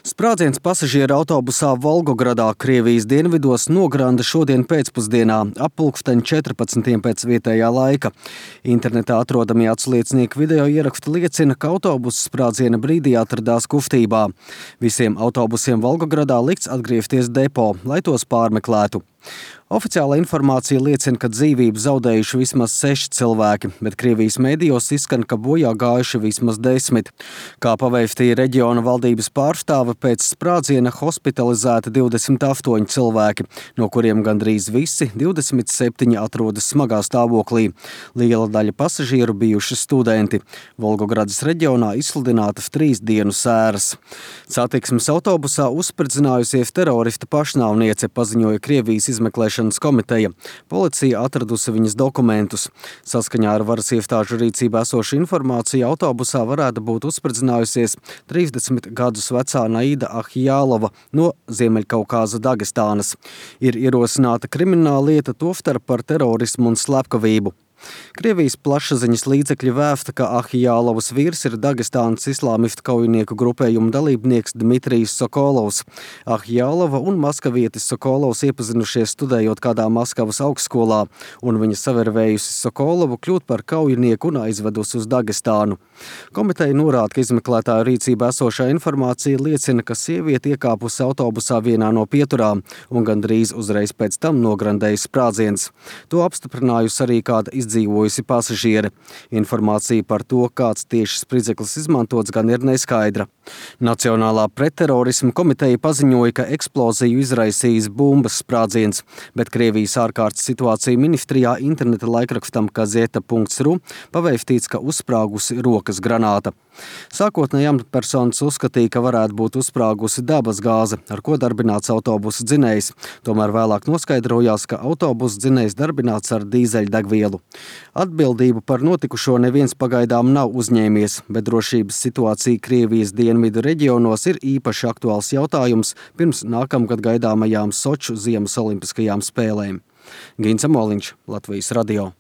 Sprādziens pasažieru autobusā Volgogradā, Krievijas dienvidos, nogranda šodien pēcpusdienā ap pulksteni 14 pēc vietējā laika. Internetā atrodamie atsliecinieku video ieraksti liecina, ka autobuss sprādziena brīdī atradās kustībā. Visiem autobusiem Volgogradā likts atgriezties depo, lai tos pārmeklētu. Oficiāla informācija liecina, ka dzīvību zaudējuši vismaz 6 cilvēki, bet Krievijas mēdījos izskan, ka bojā gājuši vismaz 10. Kā pavēstīja reģiona valdības pārstāve, pēc sprādziena hospitalizēti 28 cilvēki, no kuriem gandrīz visi 27 atrodas smagā stāvoklī. Liela daļa pasažieru bijuši studenti. Volgogradas reģionā izsludinātas 3 dienu sēras. Satiksmes autobusā uzspridzinājusies terorista pašnāvniece, paziņoja Krievijas izmeklēšanas komiteja. Policija atradusi viņas dokumentus. Saskaņā ar varas iestāžu rīcībā esošu informāciju autobusā varētu būt uzspridzinājusies 30 gadus vecā Naida Ahjālova no Ziemeļkaukāza Dagestānas. Ir ierosināta krimināla lieta, tostarp par terorismu un slepkavību. Krievijas plašsaziņas līdzekļi vēsta, ka Ahjālovas vīrs ir Dagestānas islāmistu kaujinieku grupējuma dalībnieks Dmitrijs Sokolovs. Ahjālova un maskavietis Sokolovs iepazinušies studējot kādā Maskavas augstskolā, un viņa savervējusi Sokolovu kļūt par kaujinieku un aizvedusi uz Dagestānu. Komiteja norāda, ka izmeklētāju rīcībā esošā informācija liecina, ka sieviete iekāpusi autobusā vienā no pieturām un gandrīz uzreiz pēc tam nograndēja sprādziens. To apstiprinājusi arī kāda izdzīvojusi pasažiere. Informācija par to, kāds tieši spridzeklis izmantots, gan ir neskaidra. Nacionālā pretterorisma komiteja paziņoja, ka eksploziju izraisījis bumbas sprādziens, bet Krievijas ārkārtas situācija ministrijā interneta laikrakstam Gazeta.ru pavēstīts, ka uzsprāgusi rokas granāta. Sākotnēji amatpersonas uzskatīja, ka varētu būt uzsprāgusi dabas gāze, ar ko darbināts autobusa dzinējs. Tomēr vēlāk noskaidrojās, ka autobusa dzinējs darbināts ar dīzeļdegvielu. Atbildību par notikušo neviens pagaidām nav uzņēmies, bet drošības situācija Krievijas dienvidu reģionos ir īpaši aktuāls jautājums pirms nākamgad gaidāmajām Soču ziemas olimpiskajām spēlēm. Gins Amoliņš, Latvijas radio.